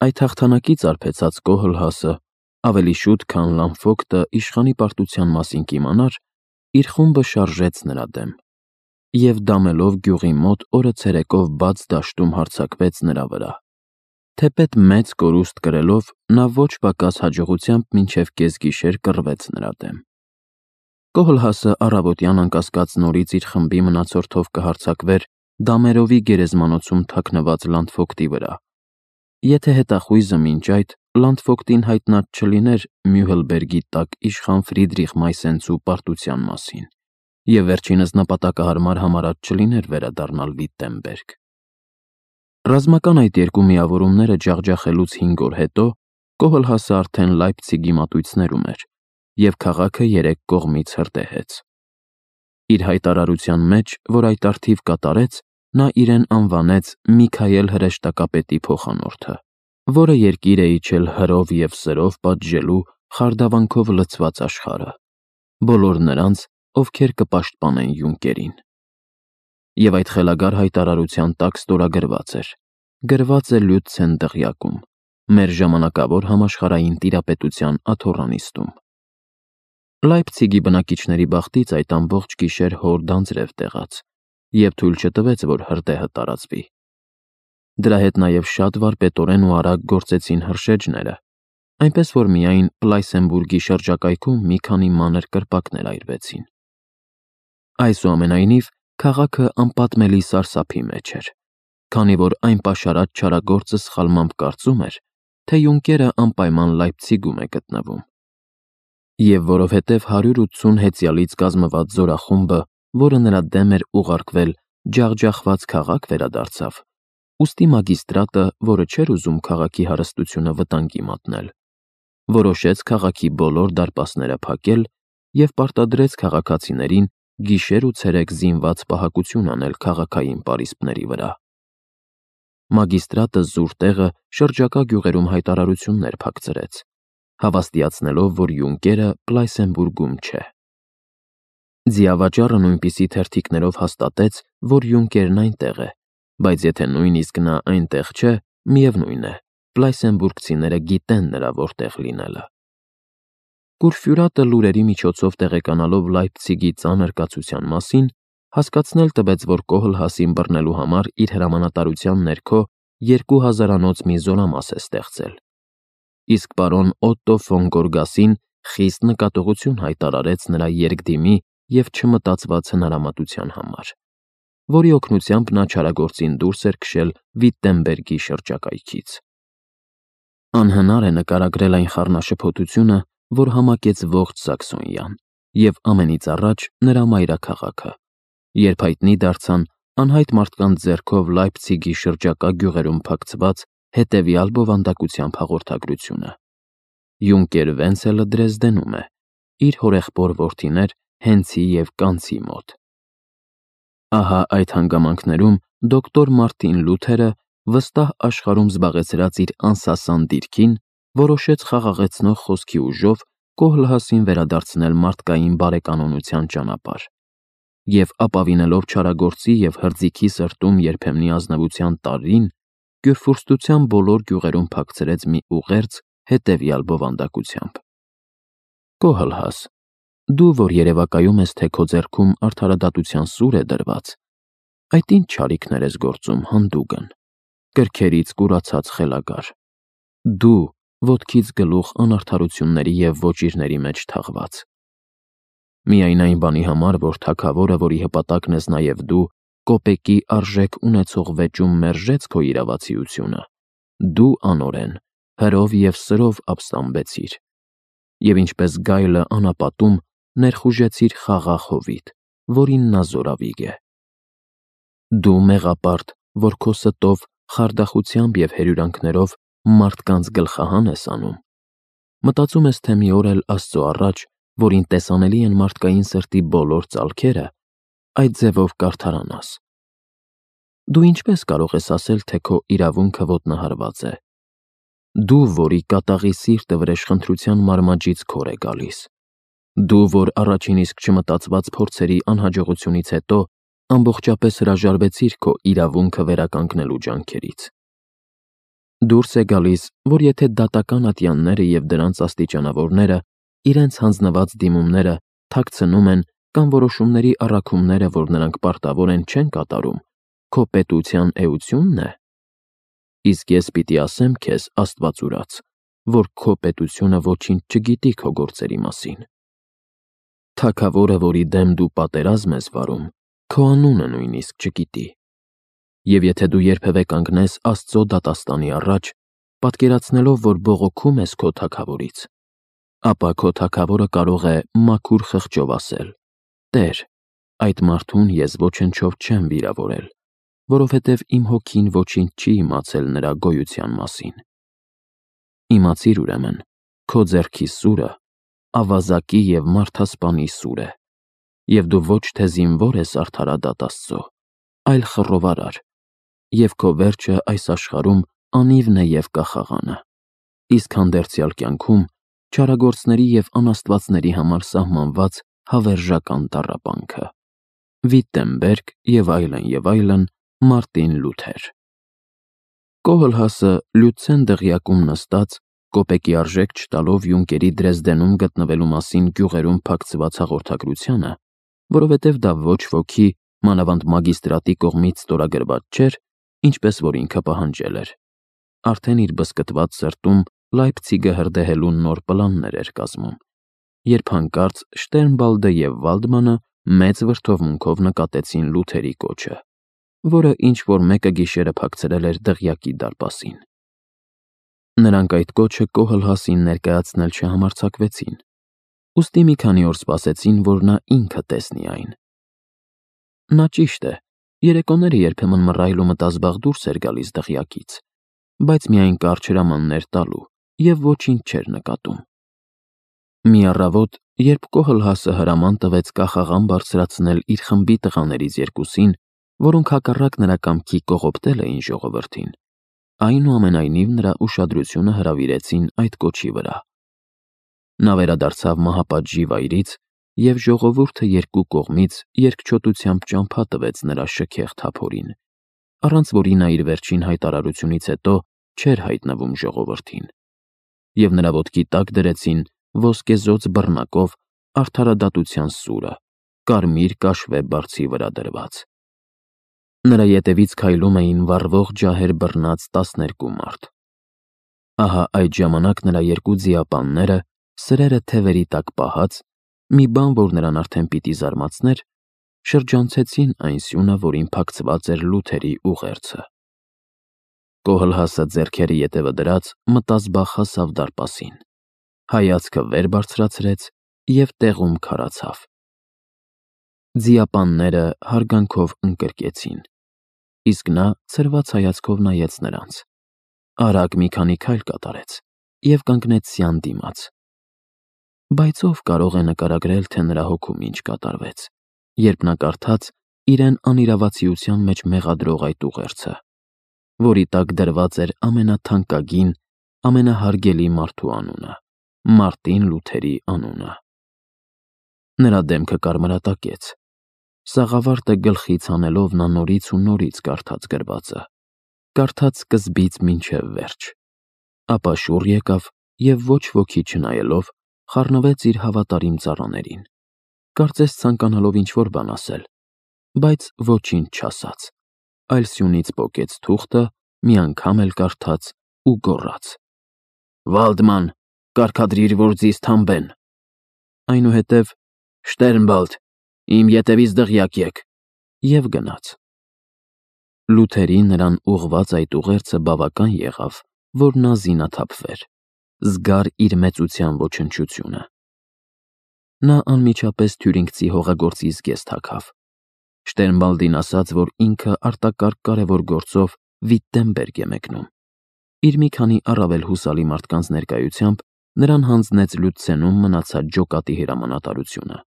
Այդ հաղթանակից արբեցած Կոհլհասը ավելի շուտ, քան Լամփոկտը իշխանի պարտության մասին կիմանար, իր խումբը շարժեց նրա դեմ, և դամելով գյուղի մոտ օրը ցերեկով բաց դաշտում հարձակվեց նրա վրա։ Թեպետ մեծ կորուստ կրելով, նա ոչ պակաս հաջողությամբ մինչև կեսգիշեր կռվեց նրա դեմ։ Կոհլհասը առավոտյան անկասկած նորից իր խմբի մնացորդով կհարձակվեր Դամերովի գերեզմանոցում թաքնված Լանդֆոկտի վրա, եթե հետախույզը մինչ այդ Լանդֆոկտին հայտնած չլիներ Մյուհլբերգի տակ իշխան Ֆրիդրիխ Մայսենցու պարտության մասին, և վերջինս նպատակահարմար համարած չլիներ վերադառնալ Վիտտենբերգ։ Ռազմական այդ երկու միավորումները ջախջախելուց 5 օր հետո Կոհլհասը արդեն Լայպցիգի մատույցներում էր, և քաղաքը 3 կողմից հրդեհեց։ Իր հայտարարության մեջ, որ այդ առթիվ կատարեց, նա իրեն անվանեց Միքայել հրեշտակապետի փոխանորդը, որը երկիր է իջել հրով և սրով պատժելու խարդավանքով լցված աշխարհը, բոլոր նրանց, ովքեր կպաշտպանեն Յունկերին։ Եվ այդ խելագար հայտարարության տակ ստորագրված էր. գրված է Լյուտցեն դղյակում, մեր ժամանակավոր համաշխարհային տիրապետության աթոռանիստում։ Լայպցիգի բնակիչների բախտից այդ ամբողջ գիշեր հոր դանձրև տեղաց, և թույլ չտվեց, որ հրդեհը տարածվի։ Դրա հետ նաև շատ վարպետորեն ու արագ գործեցին հրշեջները, այնպես որ միայն Պլայսենբուրգի շրջակայքում մի քանի մանր կրպակներ այրվեցին։ Այսուամենայնիվ, քաղաքը անպատմելի սարսափի մեջ էր, քանի որ այն պաշարած չարագործը սխալմամբ կարծում էր, թե Յունկերը անպայման Լայպցիգում է գտնվում։ Եվ որովհետև 180 հեծյալից կազմված զորախումբը, որը նրա դեմ էր ուղարկվել, ջախջախված քաղաք վերադարձավ, ուստի մագիստրատը, որը չէր ուզում քաղաքի հարստությունը վտանգի մատնել, որոշեց քաղաքի բոլոր դարպասները փակել և պարտադրեց քաղաքացիներին գիշեր ու ցերեկ զինված պահակություն անել քաղաքային պարիսպների վրա։ Մագիստրատը զուր տեղը շրջակա գյուղերում հայտարարություններ փակցրեց, հավաստիացնելով, որ Յունկերը Պլայսենբուրգում չէ։ Ձիավաճառը նույնպիսի թերթիկներով հաստատեց, որ Յունկերն այնտեղ է, բայց եթե նույնիսկ նա այնտեղ չէ, միևնույն է, պլայսենբուրգցիները գիտեն նրա որտեղ լինելը։ Կուրֆյուրատը լուրերի միջոցով տեղեկանալով Լայպցիգի ծանր կացության մասին, հասկացնել տվեց, որ Կոհլհասին բռնելու համար իր հրամանատարության ներքո 2000-անոց մի զորամաս է ստեղծել, իսկ պարոն Օտտո ֆոն Գորգասին խիստ նկատողություն հայտարարեց նրա երկդիմի և չմտածված հնարամտության համար, որի օգնությամբ նա չարագործին դուրս էր քշել Վիտտենբերգի շրջակայքից։ Անհնար է նկարագրել այն խառնաշփոթությունը, որ համակեց ողջ Սաքսոնիան և ամենից առաջ նրա մայրաքաղաքը, երբ հայտնի դարձան անհայտ մարդկանց ձեռքով Լայպցիգի շրջակա գյուղերում փակցված հետևյալ բովանդակությամբ հաղորդագրությունը. Յունկեր Վենցելը Դրեզդենում է, իր հորեղբոր որդիներ Հենցի և Կանցի մոտ։ Ահա այդ հանգամանքներում դոկտոր Մարտին Լութերը, վստահ աշխարհում զբաղեցրած իր անսասան դիրքին, որոշեց խաղաղեցնող խոսքի ուժով Կոհլհասին վերադարձնել մարդկային բարեկանոնության ճանապարհ, և ապավինելով չարագործի և հրձիքի սրտում երբեմնի ազնվության տարրին, Կյուրֆուրստության բոլոր գյուղերում փակցրեց մի ուղերձ հետևյալ բովանդակությամբ. Կոհլհաս, դու, որ երևակայում ես, թե քո ձեռքում արդարադատության սուր է դրված, այդ ինչ չարիքներ ես գործում, հանդուգն, կրքերից կուրացած խելագար, դու, ոտքից գլուխ անարդարությունների և ոճիրների մեջ թաղված։ Միայն այն բանի համար, որ թագավորը, որի հպատակն ես նաև դու, կոպեկի արժեք ունեցող վեճում մերժեց քո իրավացիությունը, դու անօրեն, հրով և սրով ապստամբեցիր, և ինչպես գայլը անապատում ներխուժեցիր խաղաղ հովիտ, որին նա զորավիգ է։ Դու մեղապարտ, որ քո ստով, խարդախությամբ և հերյուրանքներով մարդկանց գլխահան ես անում, մտածում ես, թե մի օր էլ Աստծո առաջ, որին տեսանելի են մարդկային սրտի բոլոր ծալքերը, այդ ձևով կարդարանաս։ Դու ինչպես կարող ես ասել, թե քո իրավունքը ոտնահարված է։ Դու, որի կատաղի սիրտը վրեժխնդրության մարմաջից քոր է գալիս։ Դու, որ առաջին իսկ չմտածված փորձերի անհաջողությունից հետո ամբողջապես հրաժարվեցիր քո իրավունքը վերականգնելու ջանքերից։ Դուրս է գալիս, որ եթե դատական ատյանները և դրանց աստիճանավորները իրենց հանձնված դիմումները թաքցնում են կամ որոշումների առաքումները, որ նրանք պարտավոր են, չեն կատարում, քո պետության էությունն է։ Իսկ ես պիտի ասեմ քեզ, Աստված ուրաց, որ քո պետությունը ոչինչ չգիտի քո գործերի մասին։ Թագավորը, որի դեմ դու պատերազմ ես վարում, քո անունը նույնիսկ չգիտի։ Եվ եթե դու երբևէ կանգնես Աստծո դատաստանի առաջ, պատկերացնելով, որ բողոքում ես քո թագավորից, ապա քո թագավորը կարող է մաքուր խղճով ասել. «Տեր, այդ մարդուն ես ոչնչով չեմ վիրավորել, որովհետև իմ հոգին ոչինչ չի իմացել նրա գոյության մասին»։ Իմացիր ուրեմն, քո ձեռքի սուրը ավազակի և մարդասպանի սուր է, և դու ոչ թե զինվոր ես արդարադատ Աստծո, այլ խռովարար, և քո վերջը այս աշխարհում անիվն է և կախաղանը, իսկ հանդերձյալ կյանքում չարագործների և անաստվածների համար սահմանված հավերժական տառապանքը։ Վիտտենբերգ և այլն, Մարտին Լութեր։ Կոհլհասը Լյուցեն դղյակում նստած, կոպեկի արժեք չտալով Յունկերի Դրեզդենում գտնվելու մասին գյուղերում փակցված հաղորդագրությանը, որովհետև դա ոչ ոքի, մանավանդ մագիստրատի կողմից ստորագրված չէր, ինչպես որ ինքը պահանջել էր, արդեն իր բզկտված սրտում Լայպցիգը հրդեհելու նոր պլաններ էր կազմում, երբ հանկարծ Շտերնբալդը և Վալդմանը մեծ վրդովմունքով նկատեցին Լութերի կոչը, որը ինչ-որ մեկը գիշերը փակցրել էր դղյակի դարպասին։ Նրանք այդ կոչը Կոհլհասին ներկայացնել չհամարձակվեցին, ուստի մի քանի օր սպասեցին, որ նա ինքը տեսնի այն։ Նա, ճիշտ է, երեկոները երբեմն մռայլ ու մտազբաղ դուրս էր գալիս դղյակից, բայց միայն կարճ հրամաններ տալու և ոչինչ չէր նկատում։ Մի առավոտ, երբ Կոհլհասը հրաման տվեց կախաղան բարձրացնել իր խմբի տղաներից երկուսին, որոնք հակառակ նրա կամքի կողոպտել էին ժողովրդին, այնուամենայնիվ նրա ուշադրությունը հրավիրեցին այդ կոչի վրա։ Նա վերադարձավ մահապատժի վայրից, և ժողովուրդը երկու կողմից երկչոտությամբ ճամփա տվեց նրա շքեղ թափորին, առանց որի նա իր վերջին հայտարարությունից հետո չէր հայտնվում ժողովրդին, և նրա ոտքի տակ դրեցին ոսկեզօծ բռնակով արդարադատության սուրը, կարմիր կաշվե բարձի վրա դրված։ Նրա ետևից քայլում էին վառվող ջահեր բռնած 12 մարդ։ Ահա այդ ժամանակ նրա երկու ձիապանները, սրերը թևերի տակ պահած, մի բան, որ նրան արդեն պիտի զարմացներ, շրջանցեցին այն սյունը, որին փակցված էր Լութերի ուղերձը։ Կոհլհասը ձեռքերը ետևը դրած մտազբաղ հասավ դարպասին, հայացքը վեր բարձրացրեց և տեղում քարացավ։ Ձիապանները հարգանքով ընկրկեցին, իսկ նա ցրված հայացքով նայեց նրանց, արագ մի քանի քայլ կատարեց և կանգնեց սյան դիմաց։ Բայց ով կարող է նկարագրել, թե նրա հոգում ինչ կատարվեց, երբ նա կարդաց իրեն անիրավացիության մեջ մեղադրող այդ ուղերձը, որի տակ դրված էր ամենաթանկագին, ամենահարգելի մարդու անունը՝ Մարտին Լութերի անունը։ Նրա դեմքը կարմրատակեց, սաղավարտը գլխից հանելով նա նորից ու նորից կարդաց գրվածը, կարդաց սկզբից մինչև վերջ, ապա շուռ եկավ և ոչ ոքի չնայելով խառնվեց իր հավատարիմ ծառաներին, կարծես ցանկանալով ինչ-որ բան ասել, բայց ոչինչ չասաց, այլ սյունից պոկեց թուղթը, մի անգամ էլ կարդաց ու գոռաց. «Վալդման, կարգադրիր, որ ձեզ թամբեն»։ Այնուհետև «Շտերնբալդ, իմ ետևից դղյակ եք» և գնաց։ Լութերին նրան ուղղված այդ ուղերձը բավական եղավ, որ նա զինաթափվեր, զգար իր մեծության ոչնչությունը։ Նա անմիջապես թյուրինգցի հողագործի զգեստ հագավ, Շտերնբալդին ասաց, որ ինքը արտակարգ կարևոր գործով Վիտտենբերգ է մեկնում։ Իր մի քանի առավել հուսալի մարդկանց ներկայությամբ նրան հանձնեց Լյուցենում մնացած ջոկատի հրամանատարությունը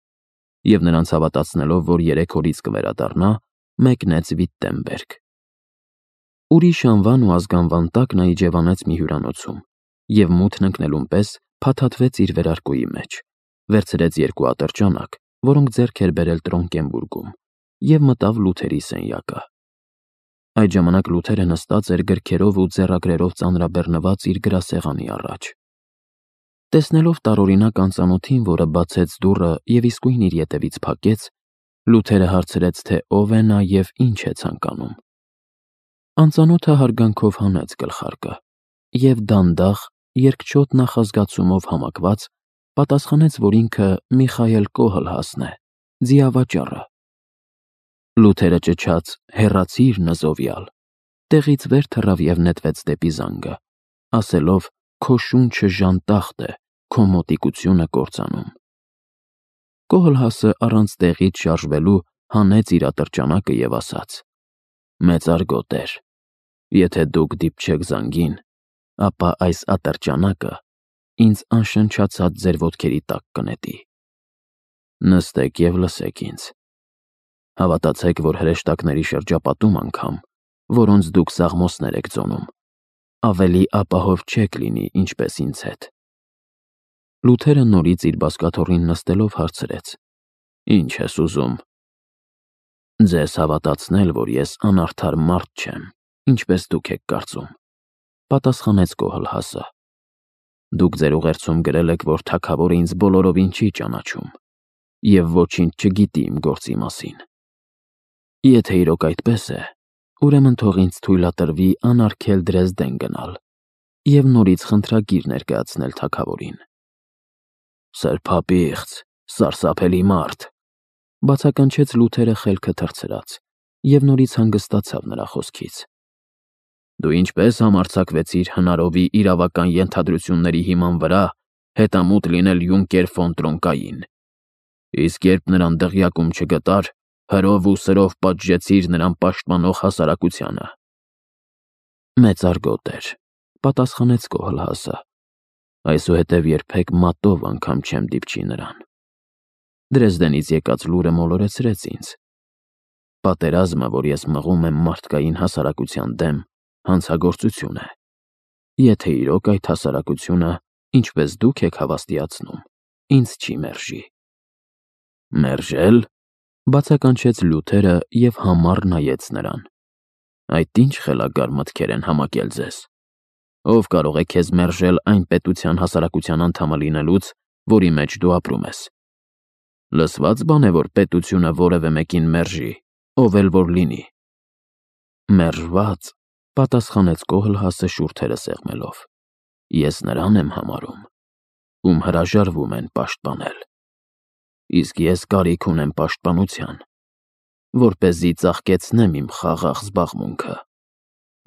և նրանց հավատացնելով, որ 3 օրից կվերադառնա, մեկնեց Վիտտենբերգ։ Ուրիշ անվան ու ազգանվան տակ նա իջևանեց մի հյուրանոցում և մութն ընկնելուն պես փաթաթվեց իր վերարկուի մեջ, վերցրեց 2 ատրճանակ, որոնք ձեռք էր բերել Տրոնկենբուրգում, և մտավ Լութերի սենյակը։ Այդ ժամանակ Լութերը նստած էր գրքերով ու ձեռագրերով ծանրաբեռնված իր գրասեղանի առաջ։ Տեսնելով տարօրինակ անծանոթին, որը բացեց դուռը և իսկույն իր ետևից փակեց, Լութերը հարցրեց, թե ով է նա և ինչ է ցանկանում։ Անծանոթը հարգանքով հանեց գլխարկը և դանդաղ, երկչոտ նախազգացումով համակված, պատասխանեց, որ ինքը Միխայել Կոհլհասն է, ձիավաճառը։ Լութերը ճչաց. «Հեռացիր, նզովյալ», տեղից վեր թռավ և նետվեց դեպի զանգը, ասելով. «Քո շունչը ժանտախտ է, քո մոտիկությունը կործանում»։ Կոհլհասը առանց տեղից շարժվելու հանեց իր ատրճանակը և ասաց. «Մեծարգո տեր, եթե դուք դիպչեք զանգին, ապա այս ատրճանակը ինձ անշնչացած ձեր ոտքերի տակ կնետի։ Նստեք և լսեք ինձ։ Հավատացեք, որ հրեշտակների շրջապատում անգամ, որոնց դուք սաղմոսներ եք ծոնում, ավելի ապահով չեք լինի, ինչպես ինձ հետ»։ Լութերը նորից իր բազկաթոռին նստելով հարցրեց. «Ինչ ես ուզում»։ «Ձեզ հավատացնել, որ ես անարդար մարդ չեմ, ինչպես դուք եք կարծում», պատասխանեց Կոհլհասը։ «Դուք ձեր ուղերձում գրել եք, որ թագավորը ինձ բոլորովին չի ճանաչում և ոչինչ չգիտի իմ գործի մասին։ Եթե իրոք այդպես է, ուրեմն թող ինձ թույլատրվի անարգել Դրեզդեն գնալ և նորից խնդրագիր ներկայացնել թագավորին»։ «Սրբապիղծ, սարսափելի մարդ», բացականչեց Լութերը խելքը թռցրած և նորից հանգստացավ նրա խոսքից։ «Դու ինչպես համարձակվեցիր հնարովի իրավական ենթադրությունների հիման վրա հետամուտ լինել յունկեր ֆոն Տրոնկային, իսկ երբ նրան դղյակում չգտար, հրով ու սրով պատժեցիր նրան պաշտպանող հասարակությանը»։ «Մեծարգո տեր», պատասխանեց Կոհլհասը, «այսուհետև երբեք մատով անգամ չեմ դիպչի նրան։ Դրեզդենից եկած լուրը մոլորեցրեց ինձ։ Պատերազմը, որ ես մղում եմ մարդկային հասարակության դեմ, հանցագործություն է, եթե իրոք այդ հասարակությունը, ինչպես դուք եք հավաստիացնում, ինձ չի մերժի»։ «Մերժել», բացականչեց Լութերը և համառ նայեց նրան։ «Այդ ինչ խելագար մտքեր են համակել ձեզ։ Ով կարող է քեզ մերժել այն պետության հասարակության անդամը լինելուց, որի մեջ դու ապրում ես։ Լսված բան է, որ պետությունը որևէ մեկին մերժի, ով էլ որ լինի»։ «Մերժված», պատասխանեց Կոհլհասը շուրթերը սեղմելով, «ես նրան եմ համարում, ում հրաժարվում են պաշտպանել։ Իսկ ես կարիք ունեմ պաշտպանության, որպեսզի ծաղկեցնեմ իմ խաղաղ զբաղմունքը,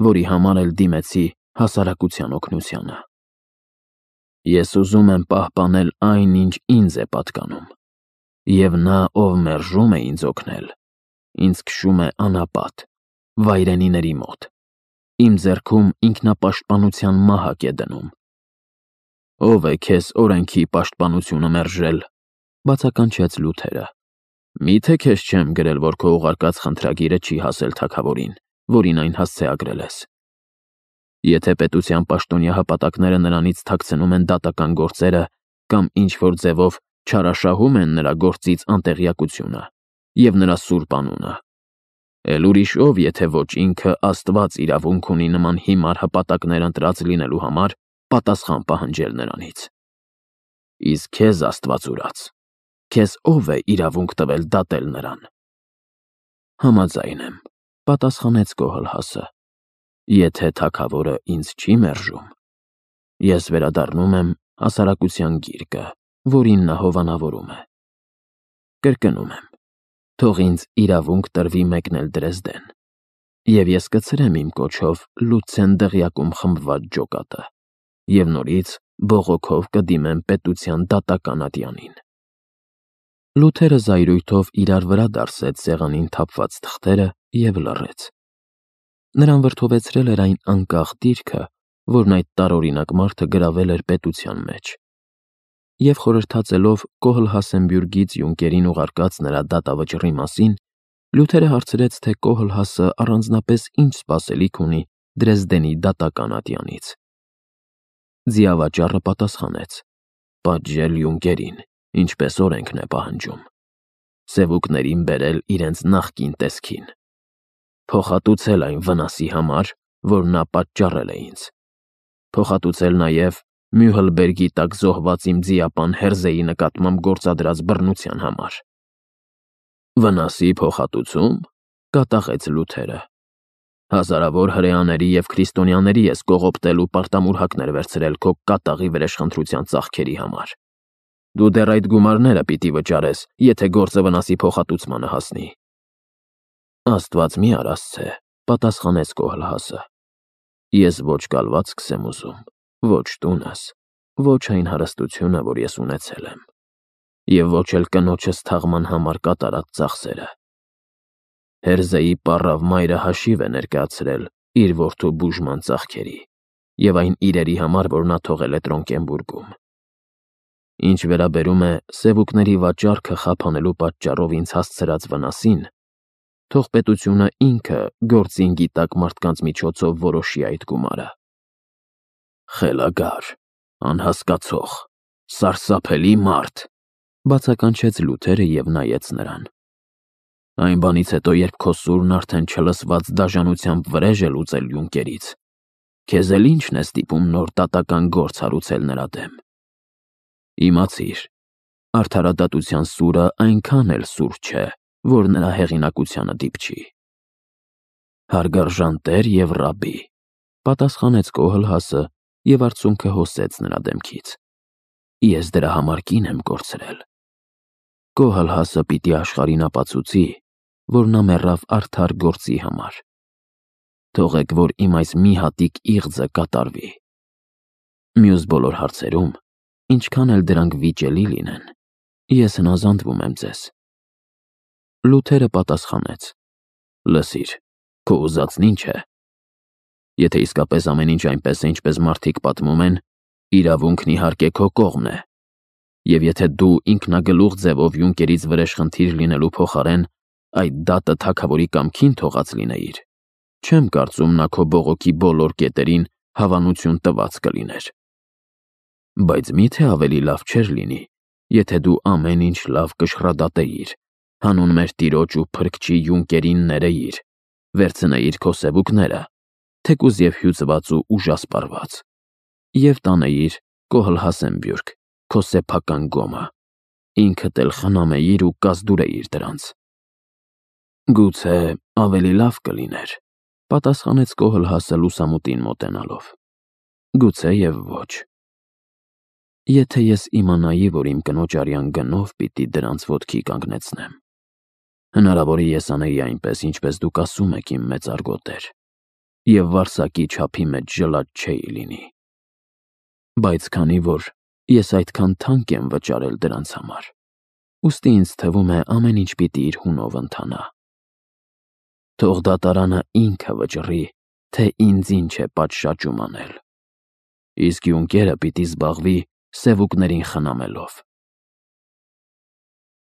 որի համար էլ դիմեցի հասարակության օգնությանը։ Ես ուզում եմ պահպանել այն, ինչ ինձ է պատկանում, և նա, ով մերժում է ինձ օգնել, ինձ քշում է անապատ, վայրենիների մոտ, իմ ձեռքում ինքնապաշտպանության մահակ է դնում»։ «Ով է քեզ օրենքի պաշտպանությունը մերժել», բացականչեց Լութերը։ «Միթե քեզ չեմ գրել, որ քո ուղարկած խնդրագիրը չի հասել թագավորին, որին այն հասցեագրել ես։ Եթե պետության պաշտոնյա հպատակները նրանից թաքցնում են դատական գործերը կամ ինչ-որ ձևով չարաշահում են նրա գործից անտեղյակությունը և նրա սուրբ անունը, էլ ուրիշ ով, եթե ոչ ինքը, Աստված իրավունք ունի նման հիմար հպատակներ ընտրած լինելու համար պատասխան պահանջել նրանից։ Իսկ քեզ, Աստված ուրաց, քեզ ով է իրավունք տվել դատել նրան»։ «Համաձայն եմ», պատասխանեց Կոհլհասը։ «Եթե թագավորը ինձ չի մերժում, ես վերադառնում եմ հասարակության գիրկը, որին նա հովանավորում է։ Կրկնում եմ, թող ինձ իրավունք տրվի մեկնել Դրեզդեն, և ես կցրեմ իմ կոչով Լուցեն դղյակում խմբված ջոկատը և նորից բողոքով կդիմեմ պետության դատական ատյանին»։ Լութերը զայրույթով իրար վրա դարսեց սեղանին թափված թղթերը և լռեց։ Նրան վրդովեցրել էր այն անկախ դիրքը, որն այդ տարօրինակ մարդը գրավել էր պետության մեջ։ Եվ խորհրդածելով Կոհլհասենբյուրգից յունկերին ուղարկած նրա դատավճռի մասին, Լյութերը հարցրեց, թե Կոհլհասը առանձնապես ինչ սպասելիք ունի Դրեզդենի դատական ատյանից։ Ձիավաճառը պատասխանեց. «Պատժել յունկերին, ինչպես օրենքն է պահանջում, սևուկներին բերել իրենց նախկին տեսքին»։ փոխհատուցել այն վնասի համար, որ նա պատճառել է ինձ, փոխհատուցել նաև Մյուհլբերգի տակ զոհված իմ ձիապան Հերզեի նկատմամբ գործադրած բռնության համար։ Վնասի փոխհատուցում, կատաղեց Լութերը։ Հազարավոր հրեաների և քրիստոնյաների ես կողոպտել ու պարտամուրհակներ վերցրել քո կատաղի վրեժխնդրության ծախքերի համար։ Դու դեռ այդ գումարները պիտի վճարես, եթե գործը վնասի փոխհատուցմանը հասնի։ Աստված մի արասցե, պատասխանեց Կոհլհասը։ Ես ոչ կալվածքս եմ ուզում, ոչ տունս, ոչ այն հարստությունը, որ ես ունեցել եմ, և ոչ էլ կնոջս թաղման համար կատարած ծախսերը։ Հերզեի պառավ մայրը հաշիվ է ներկայացրել իր որդու բուժման ծախքերի և այն իրերի համար, որ նա թողել է Տրոնկենբուրգում։ Ինչ վերաբերում է սևուկների վաճառքը խափանելու պատճառով ինձ հասցրած վնասին, թող պետությունը ինքը գործին գիտակ մարդկանց միջոցով որոշի այդ գումարը։ Խելագար, անհասկացող, սարսափելի մարդ, բացականչեց Լութերը և նայեց նրան։ Այն բանից հետո, երբ քո սուրն արդեն չլսված դաժանությամբ վրեժ է լուծել յունկերից, քեզ էլ ի՞նչն է ստիպում նոր դատական գործ հարուցել նրա դեմ։ Իմացիր, արդարադատության սուրը այնքան էլ սուր չէ, որ նրա հեղինակությանը դիպչի։ Հարգարժան տեր և ռաբբի, պատասխանեց Կոհլհասը և արցունքը հոսեց նրա դեմքից։ Ես դրա համար կին եմ կորցրել։ Կոհլհասը պիտի աշխարհին ապացուցի, որ նա մեռավ արդար գործի համար։ Թողեք, որ իմ այս մի հատիկ իղձը կատարվի։ Մյուս բոլոր հարցերում, ինչքան էլ դրանք վիճելի լինեն, ես հնազանդվում եմ ձեզ։ Լութերը պատասխանեց. Լսիր, քո ուզածն ինչ է։ Եթե իսկապես ամեն ինչ այնպես է, ինչպես մարդիկ պատմում են, իրավունքն իհարկե քո կողմն է։ Եվ եթե դու ինքնագլուխ ձևով յունկերից վրեժխնդիր լինելու փոխարեն այդ դատը թագավորի կամքին թողած լինեիր, չեմ կարծում նա քո բողոքի բոլոր կետերին հավանություն տված կլիներ։ Բայց մի՞թե ավելի լավ չէր լինի, եթե դու ամեն ինչ լավ կշռադատեիր, հանուն մեր Տիրոջ ու Փրկչի յունկերին ներեիր, վերցնեիր քո սևուկները, թեկուզ և հյուծված ու ուժասպառված, և տանեիր Կոհլհասենբյուրգ, քո սեփական գոմը, ինքդ էլ խնամեիր ու կազդուրեիր դրանց։ Գուցե ավելի լավ կլիներ, պատասխանեց Կոհլհասը լուսամուտին մոտենալով։ Գուցե և ոչ։ Եթե ես իմանայի, որ իմ կնոջ արյան գնով պիտի դրանց ոտքի կանգնեցնեմ, հնարավոր է ես անեի այնպես, ինչպես դուք ասում եք, իմ մեծարգո տեր, և վարսակի չափի մեջ ժլատ չէի լինի։ Բայց քանի որ ես այդքան թանկ եմ վճարել դրանց համար, ուստի ինձ թվում է ամեն ինչ պիտի իր հունով ընթանա։ Թող դատարանը ինքը վճռի, թե ինձ ինչ է պատշաճում անել։ Իսկ յունկերը պիտի զբաղվի սևուկներին խնամելով։